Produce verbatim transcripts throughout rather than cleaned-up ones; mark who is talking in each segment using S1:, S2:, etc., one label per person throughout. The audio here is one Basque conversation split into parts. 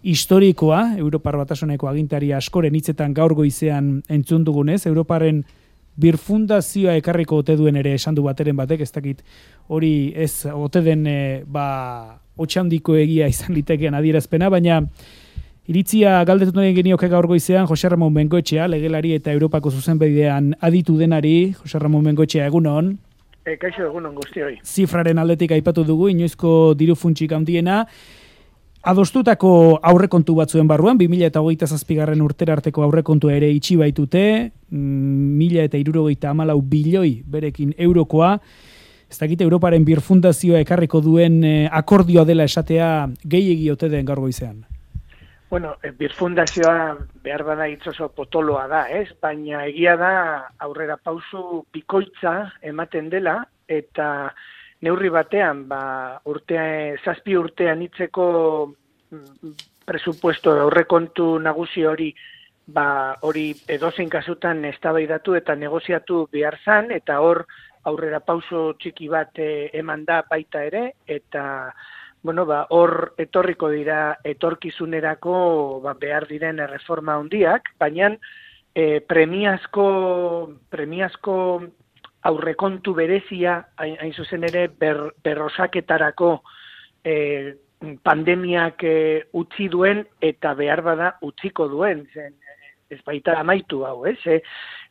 S1: historikoa, Europar Batasuneko agintari askoren hitzetan gaur goizean entzun dugunez, Europaren birfundazioa ekarriko ote duen ere esan du bateren batek, ez dakit hori ez ote den e, ba, otxandiko egia izan litekeen adierazpena, baina iritzia galdetu nahi genioke gaur goizean Jose Ramon Bengoetxea, legelari eta Europako zuzenbidean aditu denari. Jose Ramon Bengoetxea, egunon.
S2: E, kaixo egunon guztioi.
S1: Zifraren aldetik aipatu dugu, inoizko diru funtsik handiena, adostutako aurrekontu batzuen barruan, bi mila hogeita zazpigarren urtera arteko aurrekontua ere itxi baitute, mila eta hirurogeita hamalau bilioi berekin eurokoa, ez dakit Europaren birfundazioa ekarriko duen eh, akordioa dela esatea gehiegi ote den gaur goizean.
S2: Bueno, birfundazioa behar bada hitz oso potoloa da, ez? Baina egia da aurrera pausu bikoitza ematen dela, eta neurri batean, ba, urtea, zazpi urtean hitzeko presupuesto aurrekontu nagusi hori, ba, hori edozein kasutan eztabaidatu eta negoziatu behar zan, eta hor aurrera pauso txiki bat eh, eman da baita ere, eta bueno, ba, hor etorriko dira etorkizunerako ba, behar diren erreforma handiak, baina eh, premiazko, premiazko aurrekontu berezia, hain, hain zuzen ere, ber, berrosaketarako eh, pandemiak eh, utzi duen eta behar bada utziko duen, zen, ez baita amaitu hau, ez? Eh?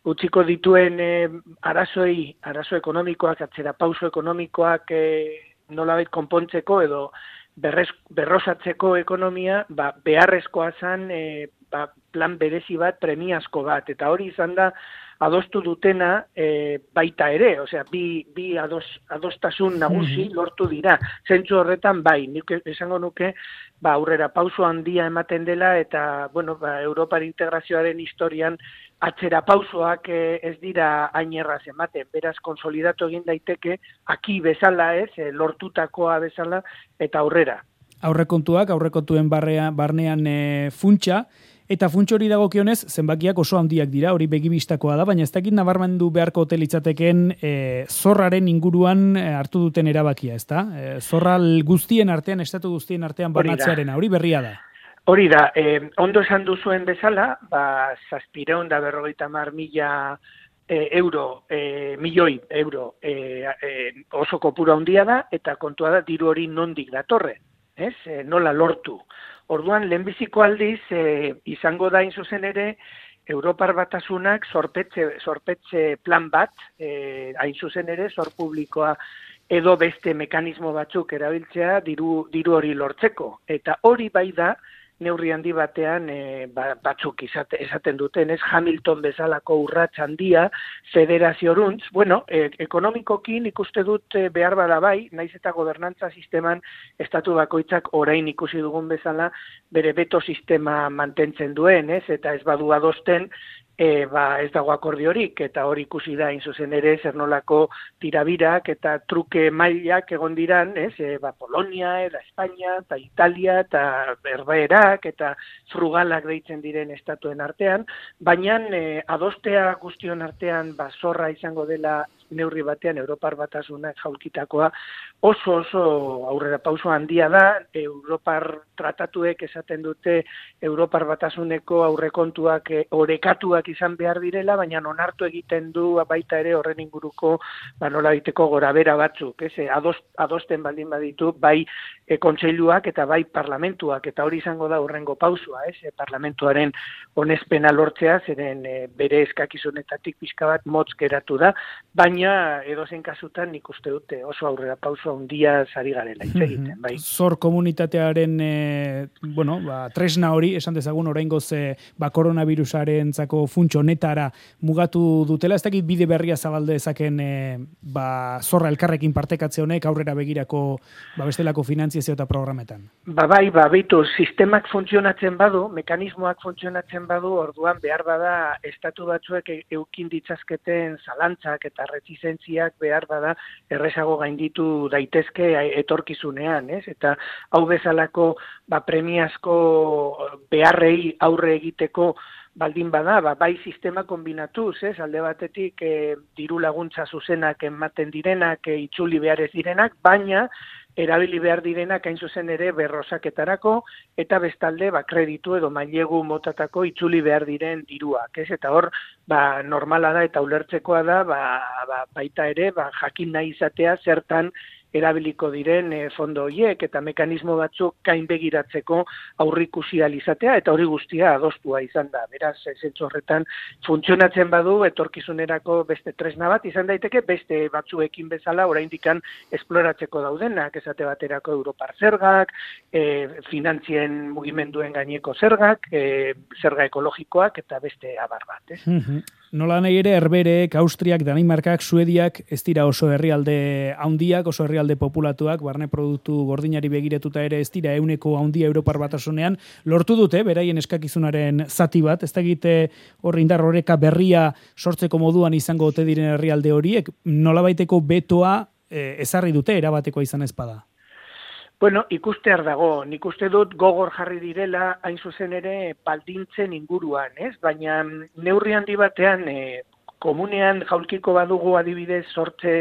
S2: Utziko dituen eh, arazoi, arazo ekonomikoak, atzera pauso ekonomikoak eh, nolabait konpontzeko edo berrez, berrosatzeko ekonomia, ba, beharrezkoa zen eh, ba, plan berezi bat, premiazko bat, eta hori izan da adostu dutena e, baita ere, osea, bi, bi ados, adostasun nagusi lortu dira. Zentzu horretan bai, nik esango nuke, ba, aurrera pauso handia ematen dela, eta, bueno, ba, Europar integrazioaren historian atzera pausoak e, ez dira ainerraz ematen, beraz konsolidatu egin daiteke, aki bezala ez, e, lortutakoa bezala, eta aurrera.
S1: Aurrekontuak, aurrekontuen barrean, barnean e, funtsa, eta funtsa hori dagokionez, zenbakiak oso handiak dira, hori begibistakoa da, baina ez dakit nabarmendu beharko hotelitzateken e, zorraren inguruan e, hartu duten erabakia, ezta? E, zorra guztien artean, estatu guztien artean banatzearena, hori berria da.
S2: Hori da, eh, ondo esan duzuen bezala, ba, zazpireun da berrogeita mar mila e, euro, e, milioi euro e, e, oso kopuru handia da, eta kontua da diru hori nondik datorren, ez? E, nola lortu. Orduan, lehenbiziko aldiz, e, izango da zuzen ere, Europar Batasunak zorpetze, zorpetze plan bat, e, hain zuzen ere, zor publikoa edo beste mekanismo batzuk erabiltzea diru, diru hori lortzeko. Eta hori bai da, neurri handi batean e, batzuk izate, esaten duten, ez Hamilton bezalako urrats handia, federazioruntz, bueno, e, ekonomikokin ikuste dut e, behar bada bai, naiz eta gobernantza sisteman estatu bakoitzak orain ikusi dugun bezala, bere beto sistema mantentzen duen, ez, eta ez badu adosten, E, ba, ez dago akordiorik, eta hori ikusi da, zuzen ere, zer nolako tirabirak eta truke mailak egon diran, ez, e, ba, Polonia, eta Espainia, eta Italia, eta Herbeherak, eta frugalak deitzen diren estatuen artean, baina e, adostea guztion artean, ba, zorra izango dela neurri batean, Europar Batasunak jaulkitakoa, oso oso aurrera pauso handia da, Europar tratatuek esaten dute Europar Batasuneko aurrekontuak e, orekatuak izan behar direla, baina onartu egiten du baita ere horren inguruko ba, nola biteko gorabera batzuk, ez? Adost, adosten baldin baditu, bai e, kontseiluak eta bai parlamentuak, eta hori izango da horrengo pausua, ez? E, parlamentuaren onespena lortzea, zeren e, bere eskakizunetatik pixka bat motz geratu da, baina edozein kasutan nik uste dute oso aurrera pauso handia sari garela hitz egiten, bai.
S1: Zor komunitatearen e, bueno, ba, tresna hori, esan dezagun oraingoz e, ba, koronavirusarentzako funtso honetara mugatu dutela, ez dakit bide berria zabalde ezaken e, ba, zorra elkarrekin partekatze honek aurrera begirako ba, bestelako finantziazio eta programetan.
S2: Ba bai, ba, bitu, sistemak funtzionatzen badu, mekanismoak funtzionatzen badu, orduan behar bada estatu batzuek eukin ditzazketen zalantzak eta retizentziak behar bada errezago gainditu daitezke etorkizunean, ez? Eta hau bezalako ba, premiazko beharrei aurre egiteko baldin bada, ba, bai sistema kombinatuz, ez? Alde batetik e, diru laguntza zuzenak ematen direnak, e, itzuli behar ez direnak, baina erabili behar direnak hain zuzen ere berrosaketarako, eta bestalde ba, kreditu edo mailegu motatako itzuli behar diren diruak. Ez? Eta hor, ba, normala da eta ulertzekoa da, ba, ba, baita ere, ba, jakin nahi izatea zertan erabiliko diren e, fondo horiek eta mekanismo batzuk kain begiratzeko aurrikusi ahal izatea eta hori guztia adostua izan da. Beraz, zentzu horretan funtzionatzen badu etorkizunerako beste tresna bat izan daiteke beste batzuekin bezala oraindikan esploratzeko daudenak, esate baterako Europar zergak, e, finantzien mugimenduen gaineko zergak, e, zerga ekologikoak eta beste abar bat. Ez?
S1: Mm-hmm. Nola nahi ere, Herberek, Austriak, Danimarkak, Suediak, ez dira oso herrialde handiak, oso herrialde populatuak, barne produktu gordinari begiratuta ere ez dira euneko handia Europar Batasunean, lortu dute, beraien eskakizunaren zati bat, ez da egite hor indar horreka berria sortzeko moduan izango ote diren herrialde horiek, nolabaiteko betoa eh, ezarri dute, erabatekoa izan ezpada.
S2: Bueno, ikustear dago, nik uste dut gogor jarri direla hain zuzen ere baldintzen inguruan, ez? Baina neurri handi batean e, komunean jaulkiko badugu adibidez sortze,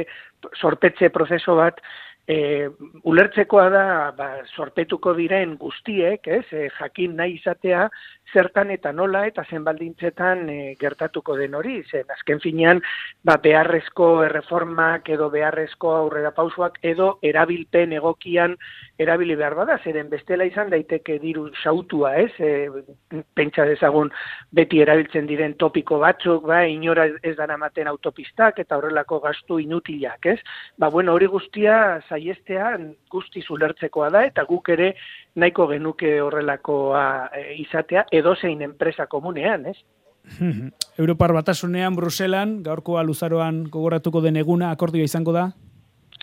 S2: sorpetze prozeso bat, e, ulertzekoa da ba, sorpetuko diren guztiek, ez? E, jakin nahi izatea zertan eta nola eta zen baldintzetan e, gertatuko den hori, zen azken finean ba, beharrezko erreformak edo beharrezko aurrera pausoak edo erabilpen egokian erabili behar bada, zeren bestela izan daiteke diru sautua, ez? E, pentsa dezagun beti erabiltzen diren topiko batzuk, ba, inora ez daramaten autopistak eta horrelako gastu inutilak, ez? Ba, bueno, hori guztia saiestea guztiz ulertzekoa da eta guk ere nahiko genuke horrelakoa e, izatea edozein enpresa komunean, ez?
S1: Europar Batasunean, Bruselan, gaurkoa luzaroan gogoratuko den eguna akordioa izango da?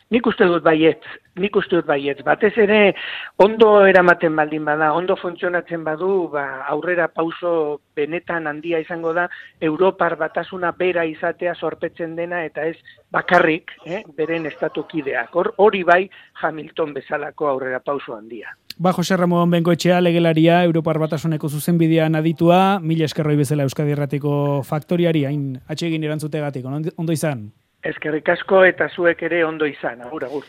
S2: Nik uste dut baietz, nik uste dut baietz. Batez ere, ondo eramaten baldin bada, ondo funtzionatzen badu, ba, aurrera pauso benetan handia izango da, Europar Batasuna bera izatea sorpetzen dena, eta ez bakarrik, eh, beren estatukideak. Hor, hori bai Hamilton bezalako aurrera pauso handia.
S1: Ba, Jose Ramon Bengoetxea, legelaria, Europar Batasuneko zuzenbidean aditua, mila eskerroi bezala Euskadi Irratiko faktoriari, hain atsegin erantzutegatik, ondo izan?
S2: Eskerrik asko eta zuek ere ondo izan, agur, agur.